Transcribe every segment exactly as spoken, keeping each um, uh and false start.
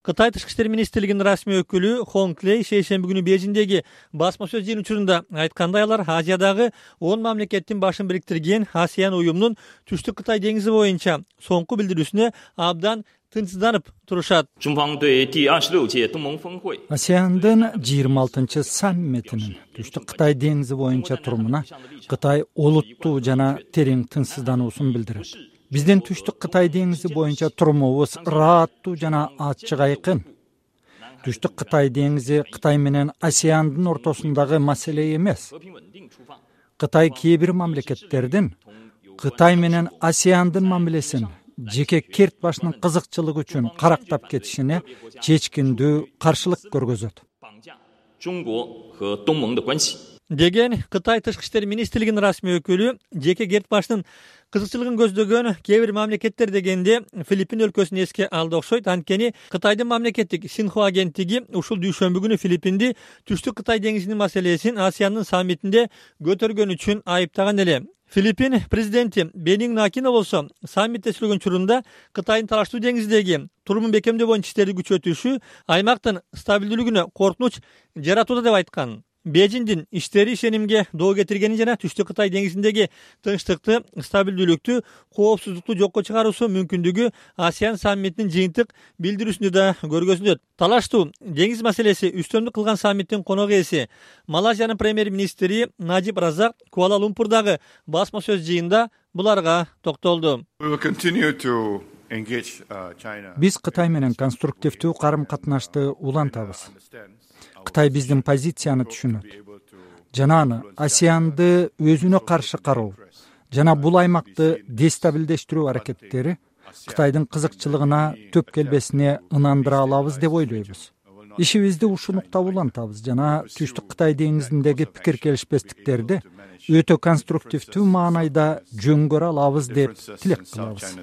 Кытай Тышкы иштер министрлигинин расмий өкүлү Хонг Лей шейшемби күнү Бейжиңдеги басма сөз жыйын учурунда айткандай, алар Азиядагы он мамлекеттин башын бириктирген ASEAN уюмунун Түштүк Кытай деңизи боюнча соңку билдирүүсүнө абдан тынчсызданып турушат. ASEANдын жыйырма алтынчы саммитинин Түштүк Кытай деңизи боюнча турумуна Кытай олуттуу жана терең тынчсыздануусун билдирет. Биздин Түштүк Кытай деңизи боюнча турумубуз ырааттуу жана ачык айкын. Түштүк Кытай деңизи Кытай менен ASEANдын ортосундагы маселе эмес. Кытай кээ бир мамлекеттердин Кытай менен ASEANдын мамилесин жеке керт башынын кызыкчылыгы үчүн карактап кетишине чечкиндүү каршылык көргөзөт деген Кытай Тышкы иштер министрлигинин расмий өкүлү. Жеке керт башынын кызыкчылыгын көздөгөн кээ бир мамлекеттер дегенде Филиппин өлкөсүн эске алды окшойт. Анткени Кытайдын мамлекеттик Синхуа агенттиги ушул дүйшөмбү күнү Филиппинди Түштүк Кытай деңизинин маселесин ASEANдын саммитинде көтөргөн үчүн айыптаган эле. Филиппин президенти Бенигн Акино болсо саммитте сүйлөгөн учурунда Кытайдын Талаштуу деңиздеги турумун бекемдөө боюнча иштерди күчөтүшү аймактын стабилдүүлүгүнө коркунуч жаратууда деп айткан. Бейжиңдин иштери ишенимге доо кетиргени жана Түштүк Кытай деңизиндеги тынчтыкты, стабилдүүлүктү, коопсуздукту жокко чыгаруусу мүмкүндүгү ASEAN саммитинин жыйынтык билдирүүсүндө да көргөзүлөт. Талаштуу деңиз маселеси үстөмдүк кылган саммиттин конок ээси Малайзиянын премьер-министри Najib Razak Куала-Лумпурдагы басма сөз жыйында буларга токтолду. Биз Кытай менен конструктивдүү карым-катнашты улантабыз. Кытай биздин позицияны түшүнөт жана аны ASEANды өзүнө каршы кароо жана бул аймакты дестабилдештирүү аракеттери Кытайдын кызыкчылыгына төп келбесине ынандыра алабыз деп ойлойбуз. Ишибизди ушул нукта улантабыз жана Түштүк Кытай деңизиндеги пикир келишпестиктерди өтө конструктивдүү маанайда жөнгөрө алабыз деп тилек кылабыз.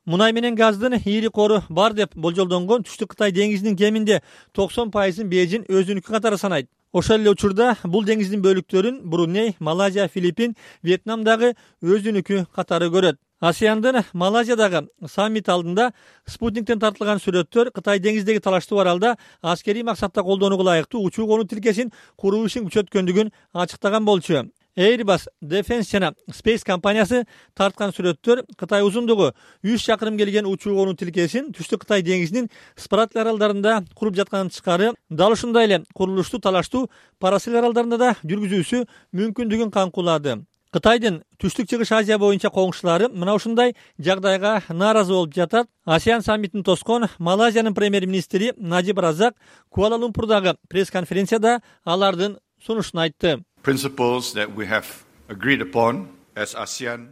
Мунай менен газдын ийри кору бар деп болжолдонгон Түштүк Кытай деңизинин кеминде токсон пайызын Бейжиң өзүнүкү катары санайт. Ошол эле учурда бул деңиздин бөлүктөрүн Бруней, Малайзия, Филиппин, Вьетнамдагы өзүнүкү катары көрөт. ASEANдын Малайзиядагы саммит алдында спутниктен тартылган сүрөттөр Кытай деңиздеги талаштуу аралда аскерий максатта колдонууга ылайыктуу учуу конуу тилкесин куруу ишин күчөткөндүгүн ачыктаган болчу. Airbus Defense жана Space компаниясы тарткан сүрөттөр Кытай узундугу үч чакырым келген учуу конуу тилкесин Түштүк Кытай деңизинин Спратли аралдарында куруп жатканын тышкары, дал ушундай эле курулушту талаштуу Парасил аралдарында да жүргүзүүсү мүмкүндүгүн камкулады. Кытайдын Түштүк Чыгыш Азия боюнча коңшулары мына ушундай жагдайга нааразы болуп жатат. ASEAN саммитин тоскон Малайзиянын премьер-министри Najib Razak Куала-Лумпурдагы пресс-конференцияда алардын сунушун айтты.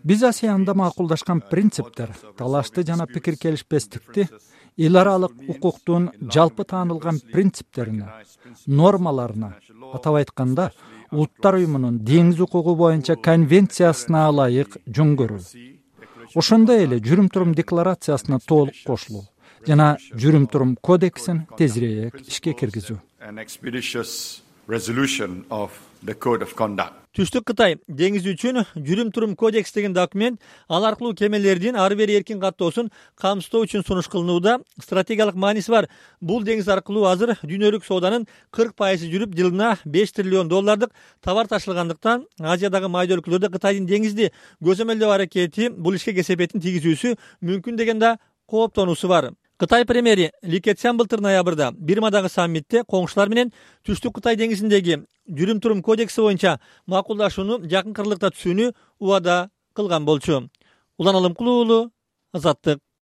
Биз ASEANда макулдашкан принциптер, талашты жана пикир келишпестикти эл аралык укуктун жалпы таанылган принциптерине, нормаларына, атап айтканда, Улуттар уюмунун деңиз укугу боюнча конвенциясына ылайык жөнгөрүү. Ошондой эле жүрүм-турум декларациясына толук кошулуу жана жүрүм-турум кодексин тезирээк ишке киргизүү. Түштүк Кытай деңизи үчүн жүрүм-турум кодекс деген документ ал аркылуу кемелердин ары бери эркин каттоосун камсыздоо үчүн сунуш кылынууда. Стратегиялык мааниси бар бул деңиз аркылуу азыр дүйнөлүк сооданын кырк пайызы жүрүп, жылына беш триллион доллардык товар ташылгандыктан Азиядагы майда өлкөлөрдө Кытайдын деңизди көзөмөлдөө аракети бул ишке кесепетин тийгизүүсү мүмкүн деген да кооптонуусу бар. Кытай премьери Ли Кэцян былтыр ноябрда Бирмадагы саммитте коңшулар менен Түштүк Кытай деңизиндеги жүрүм-турум кодекси боюнча макулдашууну жакын кырлыкта түзүүнү убада кылган болчу. Улан Алымкулуу, Азаттык.